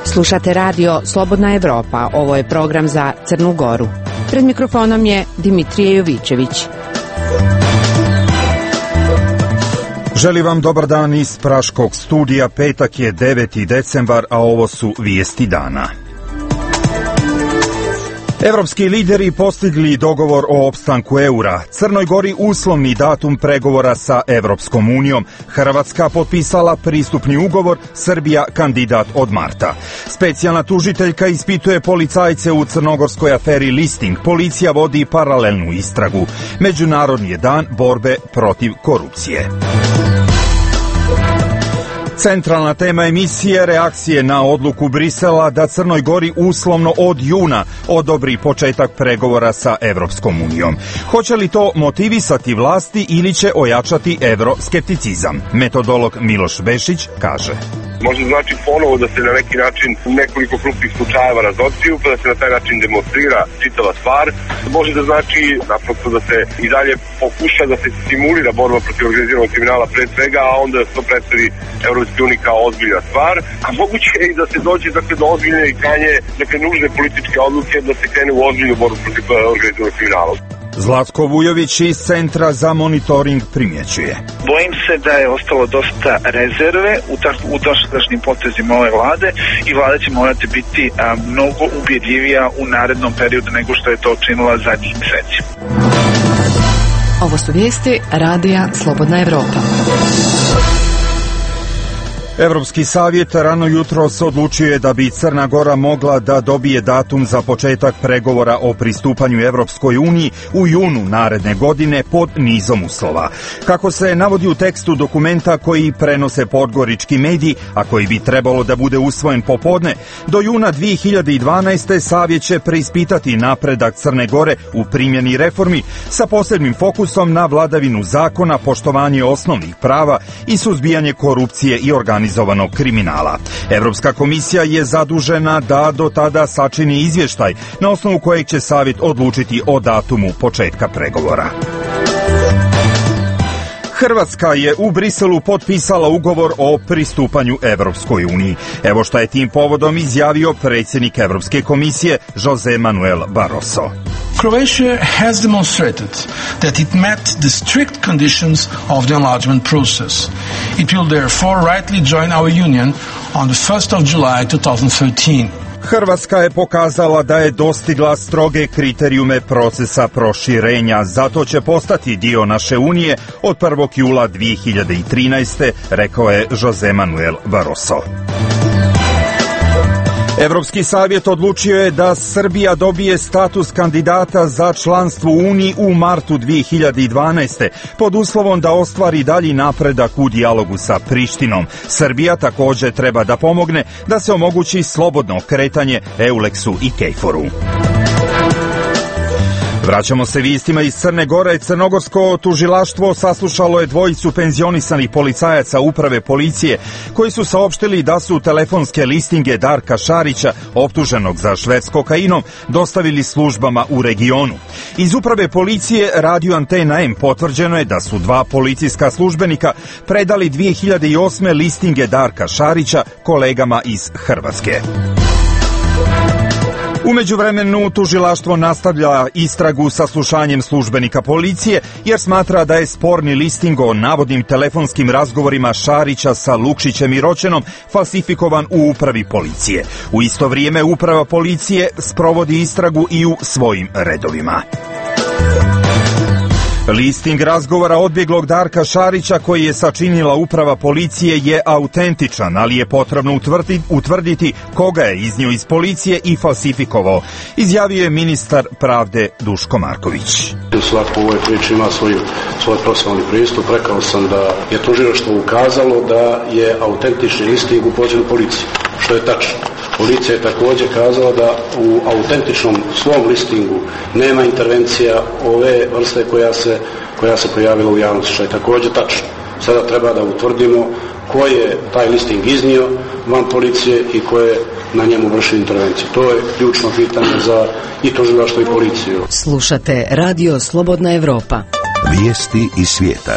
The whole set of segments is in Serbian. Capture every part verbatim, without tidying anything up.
Slušate radio Slobodna Evropa, ovo je program za Crnu Goru. Pred mikrofonom je Dimitrije Jovićević. Želim vam dobar dan iz Praškog studija, petak je deveti decembar, a ovo su vijesti dana. Evropski lideri postigli dogovor o opstanku eura. Crnoj Gori uslovni datum pregovora sa Evropskom unijom. Hrvatska potpisala pristupni ugovor, Srbija kandidat od marta. Specijalna tužiteljka ispituje policajce u crnogorskoj aferi Listing. Policija vodi paralelnu istragu. Međunarodni je dan borbe protiv korupcije. Centralna tema emisije reakcije na odluku Brisela da Crnoj Gori uslovno od juna odobri početak pregovora sa Evropskom unijom. Hoće li to motivisati vlasti ili će ojačati evroskepticizam? Metodolog Miloš Bešić kaže. Može znači ponovo da se na neki način nekoliko krupnih slučajeva razotkriju, pa da se na taj način demonstrira čitava stvar. Može da znači naprosto da se i dalje pokuša da se stimulira borba protiv organiziranog kriminala pre svega, a onda to predstavi Evropske unije kao ozbiljna stvar. A moguće je i da se dođe dakle, do ozbiljne i krajnje dakle, nužne političke odluke da se krene u ozbiljnu borbu protiv organiziranog kriminala. Zlatko Vujović iz Centra za monitoring primjećuje. Bojim se da je ostalo dosta rezerve u, ta, u dosadašnjim potezima ove vlade i vlada će morati biti a, mnogo ubjedljivija u narednom periodu nego što je to činila zadnjih mjeseci. Ovo su vijesti Radija Slobodna Evropa. Evropski savjet rano jutros odlučio je da bi Crna Gora mogla da dobije datum za početak pregovora o pristupanju Evropskoj uniji u junu naredne godine pod nizom uslova. Kako se navodi u tekstu dokumenta koji prenose podgorički mediji, a koji bi trebalo da bude usvojen popodne, do juna dvije hiljade dvanaeste. savjet će preispitati napredak Crne Gore u primjeni reformi sa posebnim fokusom na vladavinu zakona, poštovanje osnovnih prava i suzbijanje korupcije i organizacije kriminala. Evropska komisija je zadužena da do tada sačini izvještaj na osnovu kojeg će savjet odlučiti o datumu početka pregovora. Hrvatska je u Briselu potpisala ugovor o pristupanju Evropskoj uniji. Evo šta je tim povodom izjavio predsjednik Evropske komisije José Manuel Barroso. Croatia has demonstrated that it met the strict conditions of the enlargement process. It will therefore rightly join our union on the first of July twenty thirteen. Hrvatska je pokazala da je dostigla stroge kriterijume procesa proširenja, zato će postati dio naše unije od prvog jula dvije hiljade trinaeste. rekao je José Manuel Barroso. Evropski savjet odlučio je da Srbija dobije status kandidata za članstvo u Uniji u martu dvije hiljade dvanaeste. pod uslovom da ostvari dalji napredak u dijalogu sa Prištinom. Srbija također treba da pomogne da se omogući slobodno kretanje Euleksu i Kejforu. Vraćamo se vijestima iz Crne Gore. Crnogorsko tužilaštvo saslušalo je dvojicu penzionisanih policajaca uprave policije koji su saopštili da su telefonske listinge Darka Šarića, optuženog za šverc kokainom, dostavili službama u regionu. Iz uprave policije Radio Antena M potvrđeno je da su dva policijska službenika predali dvije hiljade osme listinge Darka Šarića kolegama iz Hrvatske. U međuvremenu tužilaštvo nastavlja istragu sa slušanjem službenika policije jer smatra da je sporni listing o navodnim telefonskim razgovorima Šarića sa Lukšićem i Roćenom falsifikovan u upravi policije. U isto vrijeme uprava policije sprovodi istragu i u svojim redovima. Listing razgovora odbjeglog Darka Šarića koji je sačinila uprava policije je autentičan, ali je potrebno utvrditi, utvrditi koga je iznio iz policije i falsifikovao, izjavio je ministar pravde Duško Marković. Svako u ovoj priči ima svoj, svoj profesionalni pristup. Rekao sam da je tužilaštvo ukazalo da je autentični listing u pozivu policije, što je tačno. Policija je također kazala da u autentičnom svom listingu nema intervencija ove vrste koja se, koja se pojavila u javnosti, što je također tačno. Sada treba da utvrdimo ko je taj listing iznio, van policije i koje na njemu vrši intervenciju. To je ključno pitanje za i tužilaštvo i policiju. Slušate Radio Slobodna Evropa. Vijesti iz svijeta.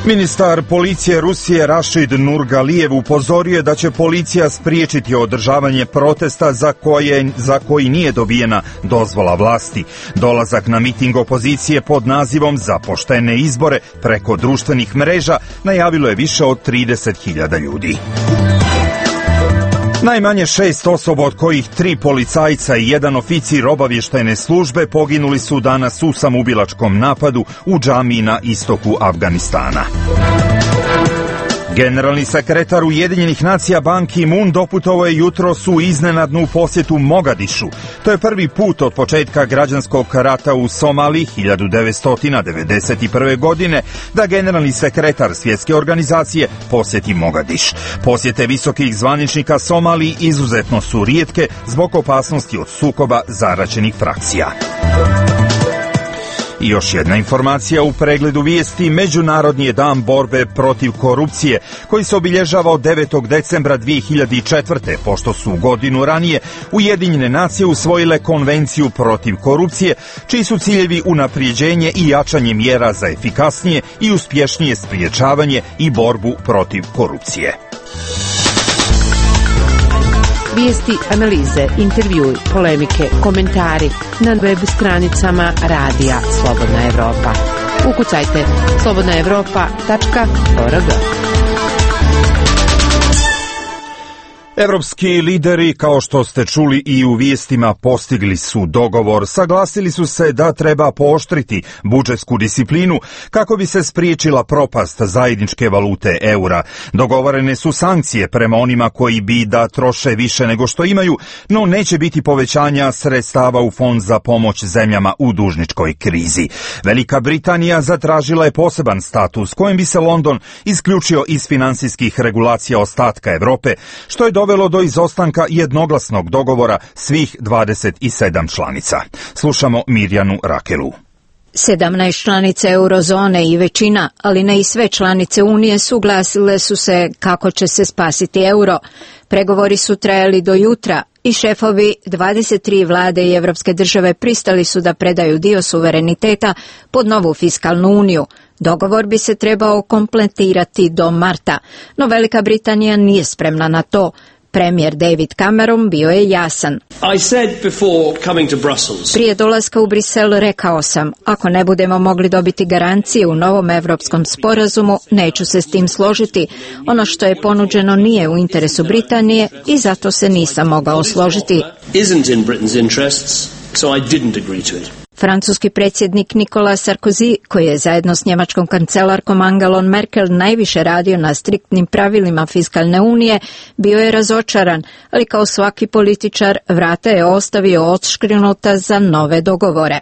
Ministar policije Rusije Rašid Nurgalijev upozorio je da će policija spriječiti održavanje protesta za, koje, za koji nije dobijena dozvola vlasti. Dolazak na miting opozicije pod nazivom Za poštene izbore preko društvenih mreža najavilo je više od trideset hiljada ljudi. Najmanje šest osoba, od kojih tri policajca i jedan oficir obavještajne službe, poginuli su danas u samoubilačkom napadu u džamiji na istoku Afganistana. Generalni sekretar Ujedinjenih nacija Ban Ki-moon doputovao je jutros u iznenadnu posjetu Mogadišu. To je prvi put od početka građanskog rata u Somaliji hiljadu devetsto devedeset prve. godine da generalni sekretar svjetske organizacije posjeti Mogadiš. Posjete visokih zvaničnika Somaliji izuzetno su rijetke zbog opasnosti od sukoba zaraćenih frakcija. I još jedna informacija u pregledu vijesti. Međunarodni je dan borbe protiv korupcije, koji se obilježava od devetog decembra dvije hiljade četvrte. pošto su godinu ranije Ujedinjene nacije usvojile konvenciju protiv korupcije, čiji su ciljevi unaprijeđenje i jačanje mjera za efikasnije i uspješnije spriječavanje i borbu protiv korupcije. Vijesti, analize, intervjui, polemike, komentari na web stranicama Radija Slobodna Evropa. Ukucajte slobodna evropa tačka org. Evropski lideri, kao što ste čuli i u vijestima, postigli su dogovor. Saglasili su se da treba pooštriti budžetsku disciplinu kako bi se spriječila propast zajedničke valute eura. Dogovorene su sankcije prema onima koji bi da troše više nego što imaju, no neće biti povećanja sredstava u fond za pomoć zemljama u dužničkoj krizi. Velika Britanija zatražila je poseban status kojim bi se London isključio iz finansijskih regulacija ostatka Evrope, što je dovelo do izostanka jednoglasnog dogovora svih dvadeset sedam članica. Slušamo Mirjanu Rakelu. sedamnaest članica eurozone i većina, ali ne i sve članice Unije, suglasile su se kako će se spasiti euro. Pregovori su trajali do jutra i šefovi dvadeset tri vlade i evropske države pristali su da predaju dio suvereniteta pod novu fiskalnu uniju. Dogovor bi se trebao kompletirati do marta, no Velika Britanija nije spremna na to. Premijer David Cameron bio je jasan. I said before coming to Brussels. Prije dolaska u Brisel rekao sam, ako ne budemo mogli dobiti garancije u novom evropskom sporazumu, neću se s tim složiti. Ono što je ponuđeno nije u interesu Britanije i zato se nisam mogao složiti. Isn't in Britain's interests, so I didn't agree to it. Francuski predsjednik Nicolas Sarkozy, koji je zajedno s njemačkom kancelarkom Angelom Merkel najviše radio na striktnim pravilima fiskalne unije, bio je razočaran, ali kao svaki političar vrata je ostavio odškrinuta za nove dogovore.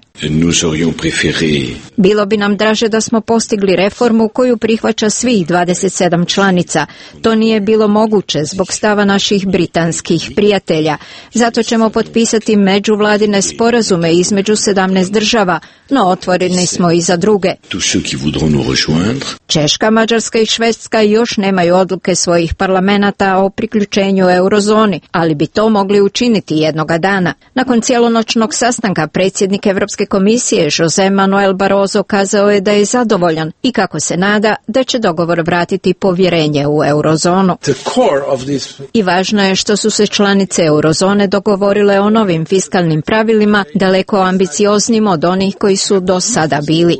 Bilo bi nam draže da smo postigli reformu koju prihvaća svih dvadeset sedam članica. To nije bilo moguće zbog stava naših britanskih prijatelja. Zato ćemo potpisati međuvladine sporazume između sedamnaest država, no otvoreni smo i za druge. Češka, Mađarska i Švedska još nemaju odluke svojih parlamenata o priključenju eurozoni, ali bi to mogli učiniti jednoga dana. Nakon cijelonoćnog sastanka predsjednik Europske komisije José Manuel Barroso kazao je da je zadovoljan i kako se nada da će dogovor vratiti povjerenje u eurozonu. I važno je što su se članice eurozone dogovorile o novim fiskalnim pravilima daleko ambicioznim od onih koji su do sada bili.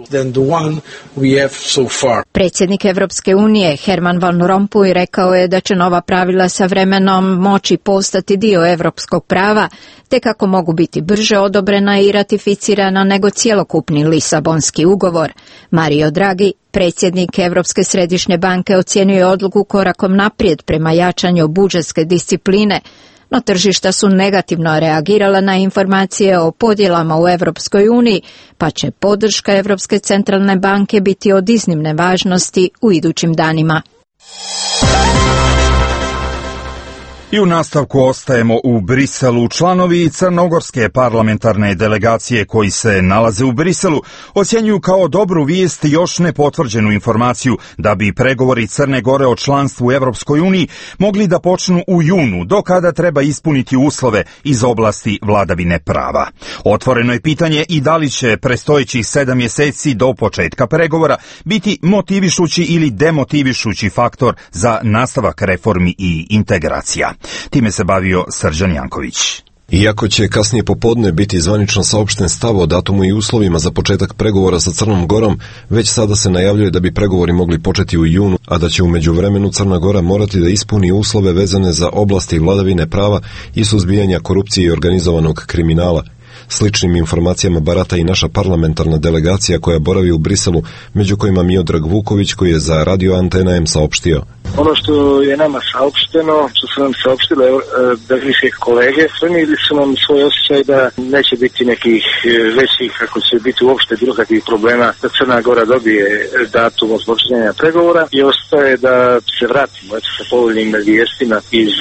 Predsjednik Evropske unije Herman Van Rompuy rekao je da će nova pravila sa vremenom moći postati dio europskog prava, te kako mogu biti brže odobrena i ratificirana nego cjelokupni Lisabonski ugovor. Mario Draghi, predsjednik Europske središnje banke, ocijenio je odluku korakom naprijed prema jačanju budžetske discipline, no tržišta su negativno reagirala na informacije o podjelama u Europskoj uniji, pa će podrška Europske centralne banke biti od iznimne važnosti u idućim danima. I u nastavku ostajemo u Briselu. Članovi crnogorske parlamentarne delegacije koji se nalaze u Briselu ocjenjuju kao dobru vijest još nepotvrđenu informaciju da bi pregovori Crne Gore o članstvu u Evropskoj uniji mogli da počnu u junu, do kada treba ispuniti uslove iz oblasti vladavine prava. Otvoreno je pitanje i da li će prestojećih sedam mjeseci do početka pregovora biti motivišući ili demotivišući faktor za nastavak reformi i integracija. Time se bavio Srđan Janković. Iako će kasnije popodne biti zvanično saopšten stav o datumu i uslovima za početak pregovora sa Crnom Gorom, već sada se najavljuje da bi pregovori mogli početi u junu, a da će u međuvremenu Crna Gora morati da ispuni uslove vezane za oblasti vladavine prava i suzbijanja korupcije i organizovanog kriminala. Sličnim informacijama barata i naša parlamentarna delegacija koja boravi u Briselu, među kojima Miodrag Vuković koji je za Radio Antena M saopštio. Ono što je nama saopšteno, što su nam saopštile belgijske kolege, prenijeli su nam svoj osjećaj da neće biti nekih većih, ako će biti uopšte bilo kakvih problema da Crna Gora dobije datum od počinjenja pregovora i ostaje da se vratimo eto, sa povoljnim vijestima iz,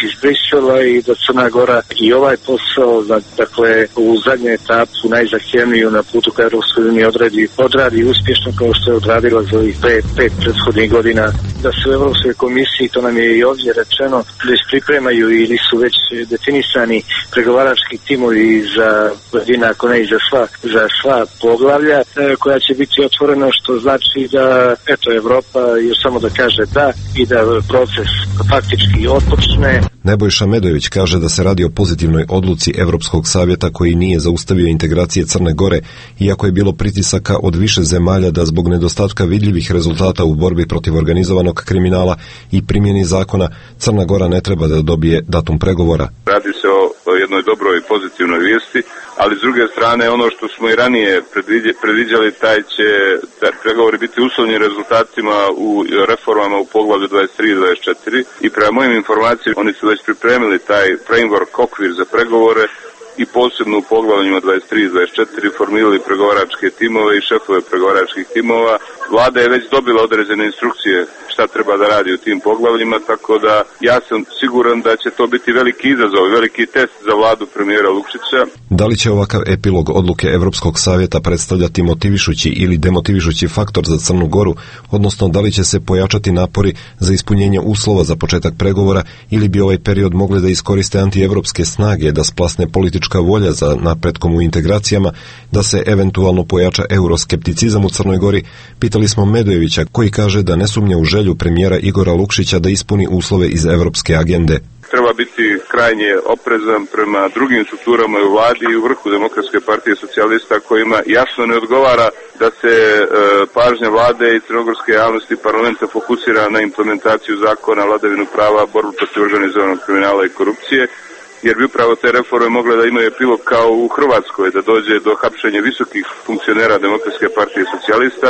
iz Brisela i da Crna Gora i ovaj posao, dakle u zadnju etapu, najzahtjevniju na putu ka Europskoj uniji odradi, odradi uspješno kao što je odradila za ovih pet, pet prethodnih godina, da se u Europskoj komisiji, to nam je i ovdje rečeno, već pripremaju ili su već definisani pregovarački timovi za pojedina, ako ne i za sva, za sva poglavlja koja će biti otvoreno, što znači da eto Evropa još samo da kaže da i da proces faktički otpočne. Nebojša Medojević kaže da se radi o pozitivnoj odluci Evropskog savjeta koji nije zaustavio integracije Crne Gore, iako je bilo pritisaka od više zemalja da zbog nedostatka vidljivih rezultata u borbi protiv organizovanog kriminala i primjeni zakona Crna Gora ne treba da dobije datum pregovora. Radi se o jednoj dobroj i pozitivnoj vijesti, ali s druge strane ono što smo i ranije predviđali, taj će taj pregovori biti uslovljeni rezultatima u reformama u poglavlju dvadeset tri i dvadeset četiri i prema mojim informacijama oni su već pripremili taj framework, okvir za pregovore i posebno u poglavljima dvadeset tri i dvadeset četiri formirali pregovaračke timove i šefove pregovaračkih timova. Vlada je već dobila određene instrukcije šta treba da radi u tim poglavljima, tako da ja sam siguran da će to biti veliki izazov, veliki test za vladu premijera Lukšića. Da li će ovakav epilog odluke Evropskog savjeta predstavljati motivišući ili demotivišući faktor za Crnu Goru, odnosno da li će se pojačati napori za ispunjenje uslova za početak pregovora ili bi ovaj period mogli da iskoriste antievropske snage da splasne politička volja za napretkom u integracijama, da se eventualno pojača euroskepticizam u Crnoj Gori, pitali smo Medojevića koji kaže da ne sumnja u želju premijera Igora Lukšića da ispuni uslove iz evropske agende. Treba biti krajnje oprezan prema drugim strukturama u vladi i u vrhu Demokratske partije socijalista kojima jasno ne odgovara da se e, pažnja vlade i crnogorske javnosti i parlamenta fokusira na implementaciju zakona, vladavinu prava, borbu protiv organizovanog kriminala i korupcije, jer bi upravo te reforme mogle da imaju epilog kao u Hrvatskoj, da dođe do hapšenja visokih funkcionera Demokratske partije socijalista,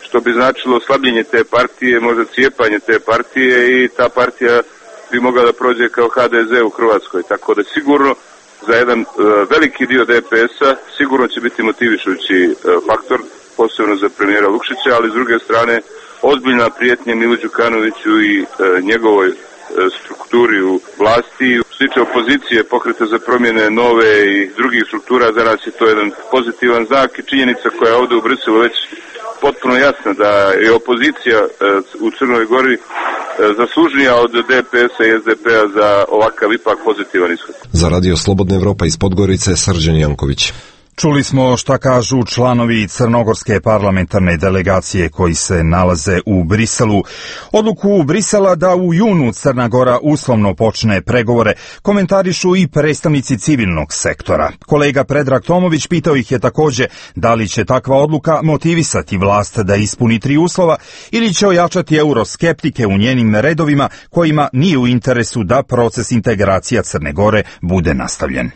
što bi značilo slabljenje te partije, možda cijepanje te partije i ta partija bi mogla da prođe kao ha de ze u Hrvatskoj. Tako da sigurno za jedan uh, veliki dio de pe es-a sigurno će biti motivišući uh, faktor, posebno za premijera Lukšića, ali s druge strane ozbiljna prijetnja Milu Đukanoviću i uh, njegovoj uh, strukturi u vlasti. Što se tiče opozicije, Pokreta za promjene nove i drugih struktura, za nas je to jedan pozitivan znak i činjenica koja je ovdje u Briselu već potpuno jasno da je opozicija u Crnoj Gori zaslužnija od de pe es-a i es de pe-a za ovakav ipak pozitivan ishod. Za Radio Slobodna Evropa iz Podgorice, Srđan Janković. Čuli smo šta kažu članovi crnogorske parlamentarne delegacije koji se nalaze u Briselu. Odluku Brisela da u junu Crna Gora uslovno počne pregovore komentarišu i predstavnici civilnog sektora. Kolega Predrag Tomović pitao ih je također da li će takva odluka motivisati vlast da ispuni tri uslova ili će ojačati euroskeptike u njenim redovima kojima nije u interesu da proces integracija Crne Gore bude nastavljen.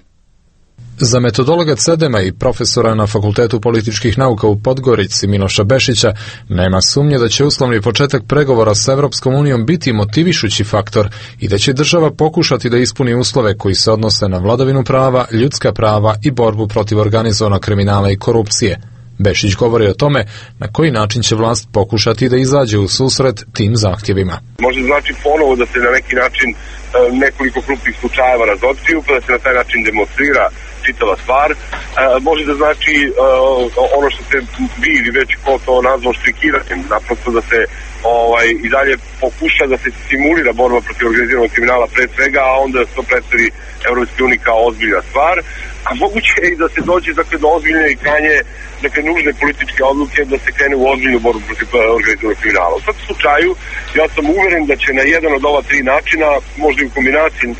Za metodologa Cedema i profesora na Fakultetu političkih nauka u Podgorici Miloša Bešića nema sumnje da će uslovni početak pregovora sa Evropskom unijom biti motivišući faktor i da će država pokušati da ispuni uslove koji se odnose na vladavinu prava, ljudska prava i borbu protiv organizovanog kriminala i korupcije. Bešić govori o tome na koji način će vlast pokušati da izađe u susret tim zahtjevima. Može znači ponovo da se na neki način nekoliko krupnih slučajeva razotkriju, pa da se na taj način demonstrira čitava stvar. E, može da znači e, ono što ste vi ili već ko to nazvao štrikiranjem, naprosto da se ovaj, i dalje pokuša da se simulira borba protiv organiziranog kriminala pre svega, a onda to predstavi Evropske unije kao ozbiljna stvar. A moguće je i da se dođe dakle, do ozbiljne i krajnje dakle, nužne političke odluke da se krene u ozbiljnu borbu protiv organiziranog kriminala. U svakom slučaju, ja sam uveren da će na jedan od ova tri načina, možda i u kombinaciji e,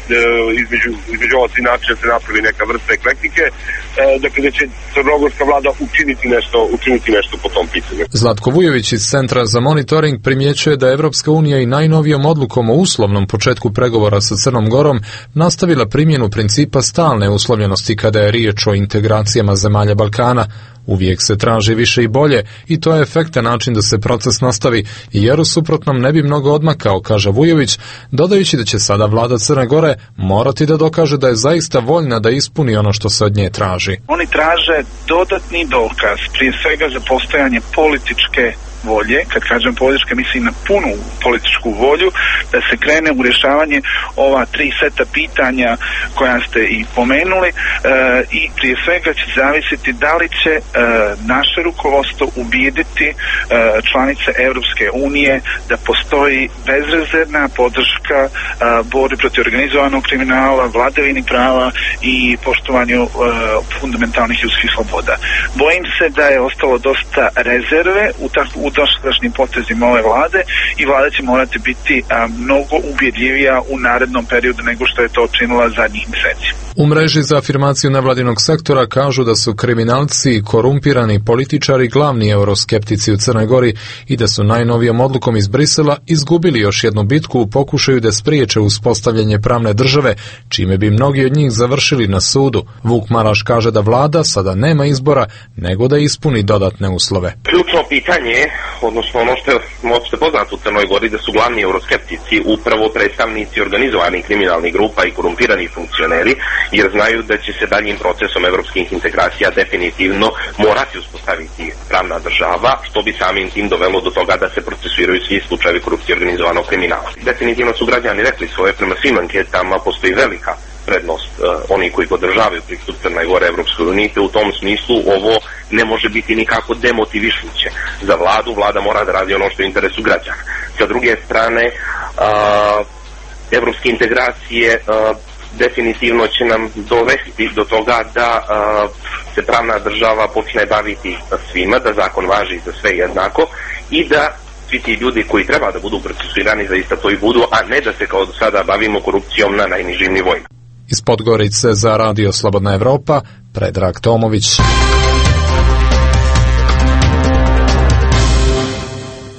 između, između ova tri načina se napravi neka vrsta eklektike, e, dakle da će crnogorska vlada učiniti nešto, učiniti nešto po tom pitanju. Zlatko Vujović iz Centra za monitoring primjećuje da Evropska unija i najnovijom odlukom o uslovnom početku pregovora sa Crnom Gorom nastavila primjenu principa stalne uslovljenosti kada je riječ o integracijama zemalja Balkana. Uvijek se traži više i bolje i to je efektan način da se proces nastavi, jer u suprotnom ne bi mnogo odmakao, kaže Vujović, dodajući da će sada vlada Crne Gore morati da dokaže da je zaista voljna da ispuni ono što se od nje traži. Oni traže dodatni dokaz, prije svega za postojanje političke volje, kad kažem političke, mislim na punu političku volju, da se krene u rješavanje ova tri seta pitanja koja ste i pomenuli e, i prije svega će zavisiti da li će e, naše rukovodstvo ubijediti e, članice Europske unije da postoji bezrezervna podrška e, borbi protiv organizovanog kriminala, vladavini prava i poštovanju e, fundamentalnih ljudskih sloboda. Bojim se da je ostalo dosta rezerve u takvu u dosadašnjim potezima ove vlade i vlada će morati biti a, mnogo ubjedljivija u narednom periodu nego što je to činila zadnjih mjeseci. U mreži za afirmaciju nevladinog sektora kažu da su kriminalci i korumpirani političari glavni euroskeptici u Crnoj Gori i da su najnovijom odlukom iz Brisela izgubili još jednu bitku u pokušaju da spriječe uspostavljanje pravne države, čime bi mnogi od njih završili na sudu. Vuk Maraš kaže da vlada sada nema izbora nego da ispuni dodatne uslove. Ključno pitanje, odnosno ono što je opšte poznato u Crnoj Gori, da su glavni euroskeptici upravo predstavnici organizovanih kriminalnih grupa i korumpiranih funkcioneri, jer znaju da će se daljim procesom evropskih integracija definitivno morati uspostaviti pravna država, što bi samim tim dovelo do toga da se procesuiraju svi slučajevi korupcije organizovanog kriminala. Definitivno su građani rekli svoje, prema svim anketama postoji velika prednost uh, oni koji podržavaju pristup Crne Gore Evropskoj uniji, te u tom smislu ovo ne može biti nikako demotivišuće za vladu. Vlada mora da radi ono što je u interesu građana. Sa druge strane, uh, evropske integracije uh, definitivno će nam dovesti do toga da uh, se pravna država počne baviti svima, da zakon važi za sve jednako i da svi ti ljudi koji treba da budu procesuirani zaista to i budu, a ne da se kao do sada bavimo korupcijom na najnižim nivoima. Iz Podgorice za Radio Slobodna Evropa, Predrag Tomović.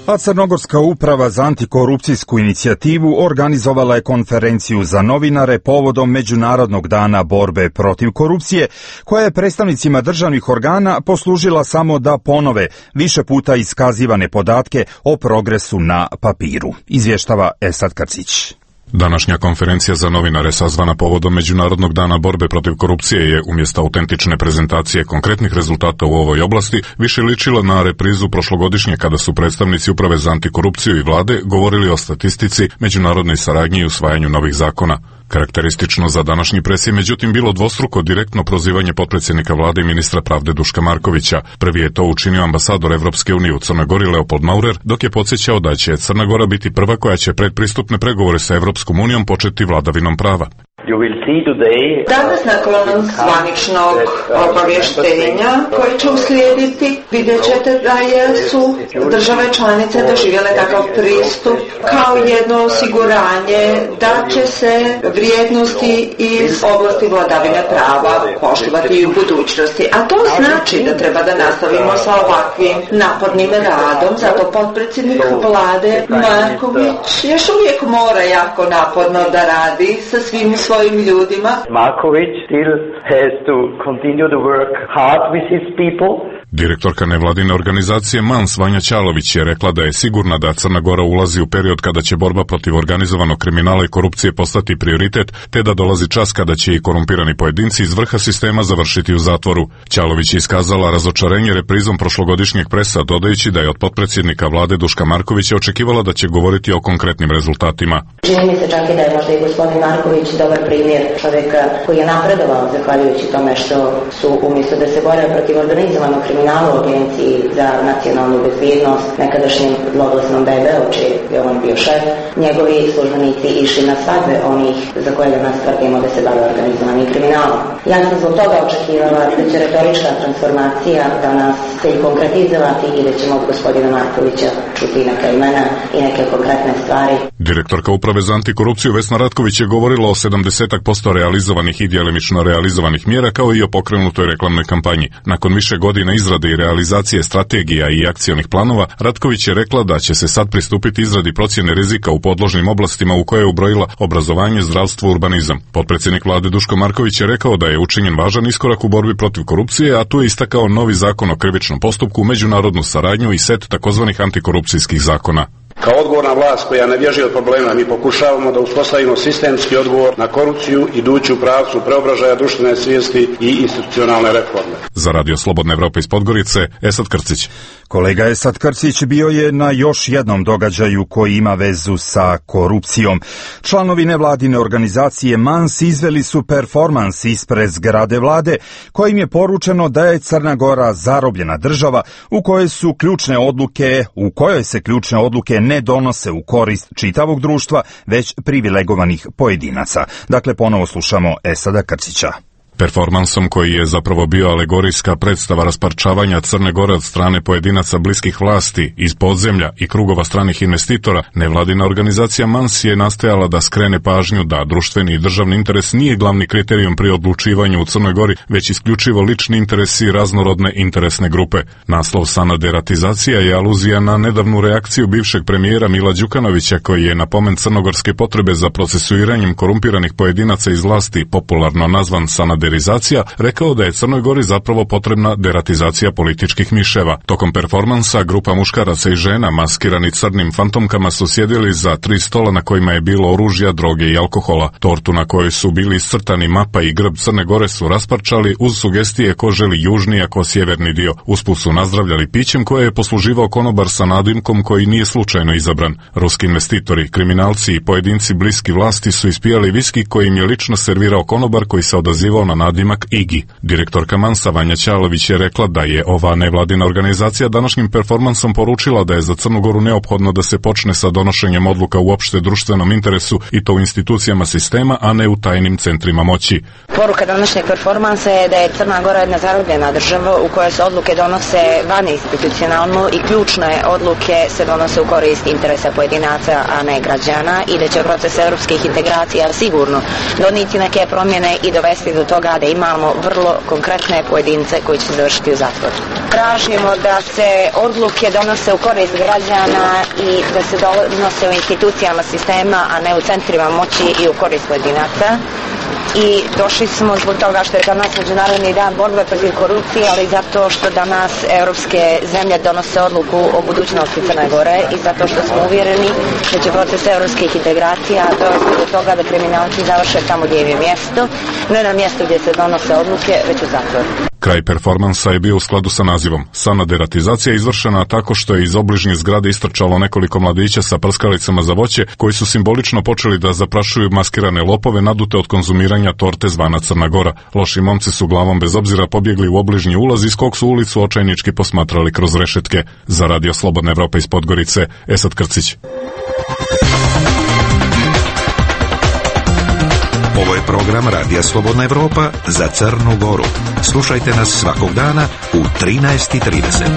A Crnogorska uprava za antikorupcijsku inicijativu organizovala je konferenciju za novinare povodom Međunarodnog dana borbe protiv korupcije, koja je predstavnicima državnih organa poslužila samo da ponove više puta iskazivane podatke o progresu na papiru. Izvještava Esad Karcić. Današnja konferencija za novinare sazvana povodom Međunarodnog dana borbe protiv korupcije je umjesto autentične prezentacije konkretnih rezultata u ovoj oblasti više ličila na reprizu prošlogodišnje kada su predstavnici uprave za antikorupciju i vlade govorili o statistici, međunarodnoj saradnji i usvajanju novih zakona. Karakteristično za današnji pres je međutim bilo dvostruko direktno prozivanje potpredsjednika vlade i ministra pravde Duška Markovića. Prvi je to učinio ambasador Evropske unije u Crnoj Gori Leopold Maurer, dok je podsjećao da će Crna Gora biti prva koja će predpristupne pregovore sa Evropskom unijom početi vladavinom prava. Danas nakon zvaničnog obavještenja koje će uslijediti, vidjet ćete da su države članice doživjele takav pristup kao jedno osiguranje da će se vrijednosti iz oblasti vladavine prava poštivati i u budućnosti. A to znači da treba da nastavimo sa ovakvim napornim radom, zato potpredsjednik vlade Marković još uvijek mora jako naporno da radi sa svim svojim ljudima. Marković still has to continue to work hard with his people. Direktorka nevladine organizacije Mans Vanja Ćalović je rekla da je sigurna da Crna Gora ulazi u period kada će borba protiv organizovanog kriminala i korupcije postati prioritet, te da dolazi čas kada će i korumpirani pojedinci iz vrha sistema završiti u zatvoru. Ćalović je iskazala razočarenje reprizom prošlogodišnjeg presa, dodajući da je od potpredsjednika vlade Duška Markovića očekivala da će govoriti o konkretnim rezultatima. Čini mi se čak i da je možda i gospodin Marković dobar primjer čovjeka koji je napredovao zahvaljujući tome što su umjesto da se bore protiv organizovanog kriminala u Agenciji za nacionalnu bezbjednost, nekadašnjem zloglasnom be be u čiji je on bio šef, njegovi službenici išli na svadbe onih za koje nas tvrdimo da se bave organizovanim kriminalom. Ja sam zbog toga očekivala da će retorička transformacija danas se i konkretizovati i da ćemo od gospodina Markovića čuti neka imena i neke konkretne stvari. Direktorka Uprave za antikorupciju Vesna Ratković je govorila o sedamdeset posto realizovanih i djelimično realizovanih mjera kao i o pokrenutoj reklamnoj kampanji. Nakon više godina izrade i realizacije strategija i akcionih planova, Ratković je rekla da će se sad pristupiti izradi procjene rizika u podložnim oblastima u koje je ubrojila obrazovanje, zdravstvo, urbanizam. Potpredsjednik vlade Duško Marković je rekao da je učinjen važan iskorak u borbi protiv korupcije, a tu je istakao novi zakon o krivičnom postupku, međunarodnu saradnju i set takozvanih antikorupcijskih zakona. Kao odgovorna vlast koja ne bježi od problema, mi pokušavamo da uspostavimo sistemski odgovor na korupciju idući u pravcu preobražaja društvene svijesti i institucionalne reforme. Za Radio Slobodne Evrope iz Podgorice, Esad Krcić. Kolega Esad Krcić bio je na još jednom događaju koji ima vezu sa korupcijom. Članovi nevladine organizacije Mans izveli su performans ispred zgrade vlade, kojim je poručeno da je Crna Gora zarobljena država u kojoj su ključne odluke, u kojoj se ključne odluke ne donose u korist čitavog društva, već privilegovanih pojedinaca. Dakle, ponovo slušamo Esada Krcića. Performansom koji je zapravo bio alegorijska predstava rasparčavanja Crne Gore od strane pojedinaca bliskih vlasti iz podzemlja i krugova stranih investitora, nevladina organizacija Mans je nastojala da skrene pažnju da društveni i državni interes nije glavni kriterijum pri odlučivanju u Crnoj Gori, već isključivo lični interesi raznorodne interesne grupe. Naslov Sana deratizacija je aluzija na nedavnu reakciju bivšeg premijera Mila Đukanovića, koji je na pomen crnogorske potrebe za procesuiranjem korumpiranih pojedinaca iz vlasti, popularno nazvan Sana deratizacija, rekao da je Crnoj Gori zapravo potrebna deratizacija političkih miševa. Tokom performansa grupa muškaraca i žena maskirani crnim fantomkama su sjedili za tri stola na kojima je bilo oružja, droge i alkohola. Tortu na kojoj su bili iscrtani mapa i grb Crne Gore su rasparčali uz sugestije ko želi južni, a ko sjeverni dio. Usput su nazdravljali pićem koje je posluživao konobar sa nadimkom koji nije slučajno izabran. Ruski investitori, kriminalci i pojedinci bliski vlasti su ispijali viski koji im je lično servirao konobar koji se odazivao na nadimak Igi. Direktorka Mansa Vanja Ćalović je rekla da je ova nevladina organizacija današnjim performansom poručila da je za Crnu Goru neophodno da se počne sa donošenjem odluka u opšte društvenom interesu i to u institucijama sistema, a ne u tajnim centrima moći. Poruka današnjeg performansa je da je Crna Gora jedna zarobljena država u kojoj se odluke donose van institucionalno i ključne odluke se donose u korist interesa pojedinaca, a ne građana, i da će proces evropskih integracija sigurno donijeti neke promjene i dovesti do toga da imamo vrlo konkretne pojedince koji će završiti u zatvoru. Tražimo da se odluke donose u korist građana i da se donose u institucijama sistema, a ne u centrima moći i u korist pojedinaca. I došli smo zbog toga što je danas Međunarodni dan borbe protiv korupcije, ali zato što danas evropske zemlje donose odluku o budućnosti Crne Gore i zato što smo uvjereni da će proces evropskih integracija dovesti do toga da kriminalci završe tamo gdje im je mjesto, ne na mjestu gdje se donose odluke, već u zatvoru. Kraj performansa je bio u skladu sa nazivom. Sana deratizacija je izvršena tako što je iz obližnje zgrade istrčalo nekoliko mladića sa prskalicama za voće koji su simbolično počeli da zaprašuju maskirane lopove nadute od konzumiranja torte zvana Crna Gora. Loši momci su glavom bez obzira pobjegli u obližnji ulaz iz kog su ulicu očajnički posmatrali kroz rešetke. Za Radio Slobodna Evropa iz Podgorice, Esad Krcić. Ovo je program Radija Slobodna Evropa za Crnu Goru. Slušajte nas svakog dana u trinaest i trideset.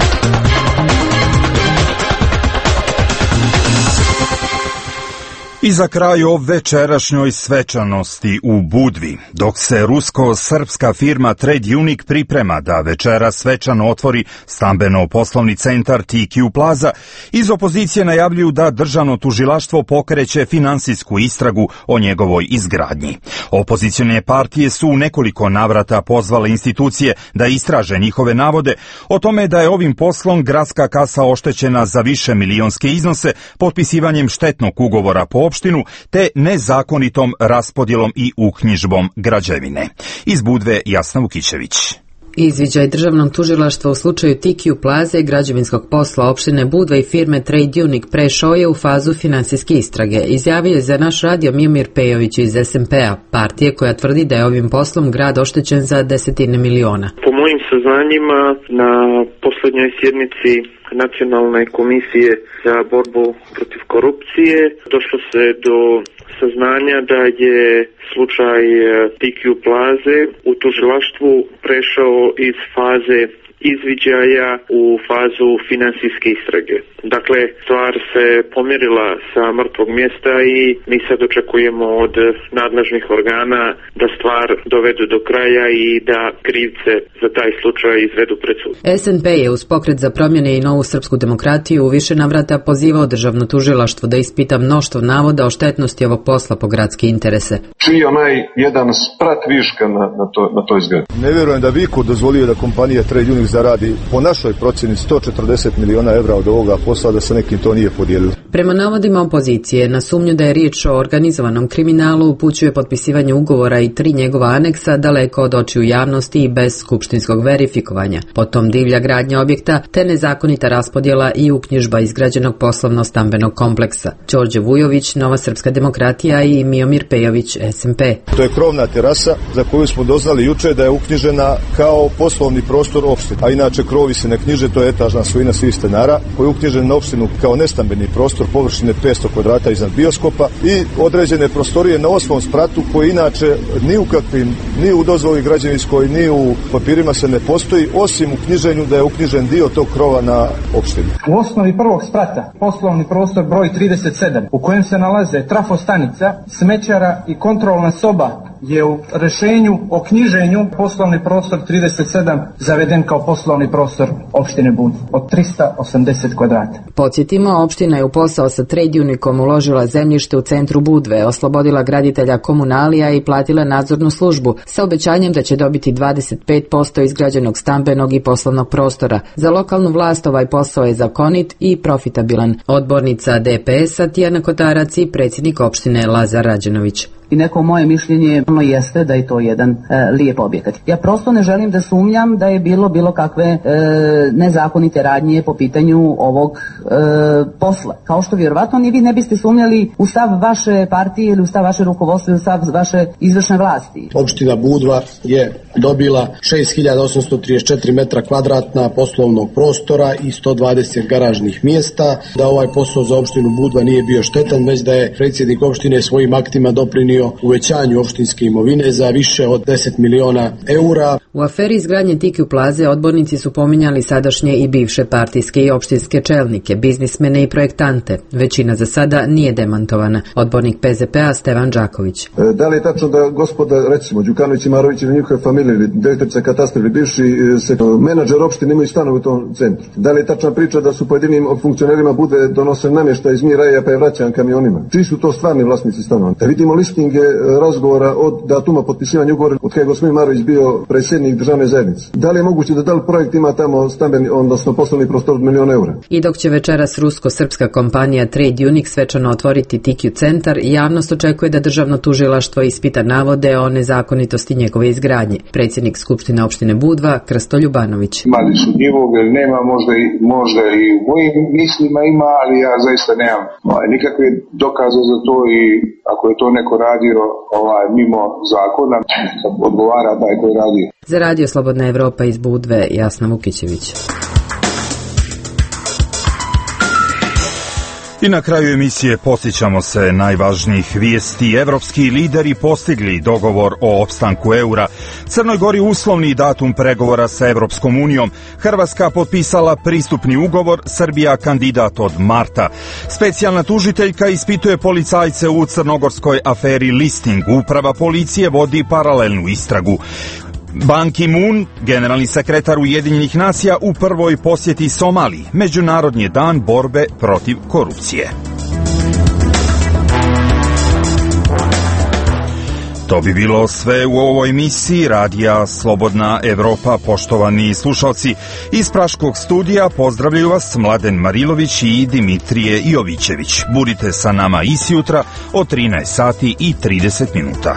I za kraj o večerašnjoj svečanosti u Budvi, dok se rusko-srpska firma Trade Unique priprema da večera svečano otvori stambeno-poslovni centar T Q Plaza, iz opozicije najavljuju da državno tužilaštvo pokreće finansijsku istragu o njegovoj izgradnji. Opozicione partije su u nekoliko navrata pozvale institucije da istraže njihove navode o tome da je ovim poslom gradska kasa oštećena za više milionske iznose potpisivanjem štetnog ugovora po opštinu te nezakonitom raspodjelom i uknjižbom građevine. Iz Budve Jasna Vukićević. Izviđaj državnog tužilaštva u slučaju T Q Plaze, građevinskog posla opštine Budva i firme Trade Unique prešao je u fazu finansijske istrage. Izjavio je za naš radio Miomir Pejović iz S N P-a, partije koja tvrdi da je ovim poslom grad oštećen za desetine miliona. Po mojim saznanjima, na posljednjoj sjednici Nacionalne komisije za borbu protiv korupcije došlo se do saznanja da je slučaj T Q Plaze u tužilaštvu prešao iz faze izviđaja u fazu finansijske istrage. Dakle, stvar se pomjerila sa mrtvog mjesta i mi sad očekujemo od nadležnih organa da stvar dovedu do kraja i da krivce za taj slučaj izvedu pred sud. S N P je uz pokret za promjene i novu srpsku demokratiju u više navrata pozivao državno tužilaštvo da ispita mnoštvo navoda o štetnosti ovog posla po gradske interese. Čiji je onaj jedan sprat viška na, na, to, na toj zgradi? Ne vjerujem da Viko dozvolio da kompanija Trade Unique zaradi po našoj procjeni sto četrdeset miliona evra od ovoga posla, da se nekim to nije podijelilo. Prema navodima opozicije, na sumnju da je riječ o organizovanom kriminalu upućuje potpisivanje ugovora i tri njegova aneksa daleko od očiju javnosti i bez skupštinskog verifikovanja. Potom divlja gradnja objekta te nezakonita raspodjela i uknjižba izgrađenog poslovno-stambenog kompleksa. Đorđe Vujović, Nova srpska demokratija i Miomir Pejović, S N P. To je krovna terasa za koju smo doznali juče da je uknjižena kao poslovni prostor opštine. A inače krovi se ne knjiže, to je etažna svojina svih stanara koji je uknjižen na opštinu kao nestambeni prostor površine petsto kvadrata iznad bioskopa i određene prostorije na osmom spratu koji inače ni u kakvim, ni u dozvoli građevinskoj, ni u papirima se ne postoji, osim u knjiženju da je uknjižen dio tog krova na opštini. U osnovi prvog sprata poslovni prostor broj trideset sedam u kojem se nalaze trafostanica, smećara i kontrolna soba je u rješenju o knjiženju poslovni prostor trideset sedam zaveden kao poslovni prostor opštine Budva od trista osamdeset kvadrata. Podsjetimo, opština je u posao sa Trade Uniquom uložila zemljište u centru Budve, oslobodila graditelja komunalija i platila nadzornu službu sa obećanjem da će dobiti dvadeset pet posto izgrađenog stambenog i poslovnog prostora. Za lokalnu vlast ovaj posao je zakonit i profitabilan. Odbornica D P S-a Tijana Kotarac i predsjednik opštine Lazar Rađenović. I neko moje mišljenje ono jeste da je to jedan e, lijep objekat. Ja prosto ne želim da sumnjam da je bilo bilo kakve e, nezakonite radnje po pitanju ovog e, posla. Kao što vjerovatno ni vi ne biste sumnjali u stav vaše partije ili u stav vaše rukovodstva ili u stav vaše izvršne vlasti. Opština Budva je dobila šest hiljada osamsto trideset četiri metra kvadratna poslovnog prostora i sto dvadeset garažnih mjesta. Da ovaj posao za opštinu Budva nije bio štetan, već da je predsjednik opštine svojim aktima doprinio uvećanju opštinske imovine za više od deset miliona eura. U aferi izgradnje T Q Plaze odbornici su pominjali sadašnje i bivše partijske i opštinske čelnike, biznismene i projektante. Većina za sada nije demantovana. Odbornik P Z P-a Stevan Đaković. E, da li je tačno da gospoda, recimo, Đukanović i Marović ili njihove familije, ili direktorica katastra ili bivši se, menadžer opštine imaju stanove u tom centru? Da li je tačna priča da su pojedinim funkcionerima bude donose namještaj iz Miraja pa je vraćan kamionima? Čiji su to stvarni vlasnici stanova? Da vidimo listing razgovora od datuma potpisivanja ugovora od kada je gospodin Marović bio predsjednik državne zajednice. Da li je moguće da da li projekt ima tamo stambeni, odnosno poslovni prostor od miliona eura? I dok će večeras rusko-srpska kompanija Trade Unique svečano otvoriti T Q centar, javnost očekuje da državno tužilaštvo ispita navode o nezakonitosti njegove izgradnje. Predsjednik Skupštine opštine Budva Krsto Ljubanović. Mali su njivog, nema, možda i, možda i u mojim mislima ima, ali ja zaista nemam ovaj, nikakve dokaze za to i ako je to neko radio ovaj, mimo zakona, odgovara taj koji radi. Za Radio Slobodna Evropa iz Budve, Jasna Vukićević. I na kraju emisije podsjećamo se najvažnijih vijesti. Evropski lideri postigli dogovor o opstanku eura. Crnoj Gori uslovni datum pregovora sa Evropskom unijom. Hrvatska potpisala pristupni ugovor, Srbija kandidat od marta. Specijalna tužiteljka ispituje policajce u crnogorskoj aferi Listing. Uprava policije vodi paralelnu istragu. Ban Ki-moon, generalni sekretar Ujedinjenih nacija, u prvoj posjeti Somaliji. Međunarodni dan borbe protiv korupcije. To bi bilo sve u ovoj emisiji Radija Slobodna Evropa. Poštovani slušalci, iz Praškog studija pozdravljaju vas Mladen Marilović i Dimitrije Jovićević. Budite sa nama i sjutra od trinaest sati i trideset minuta.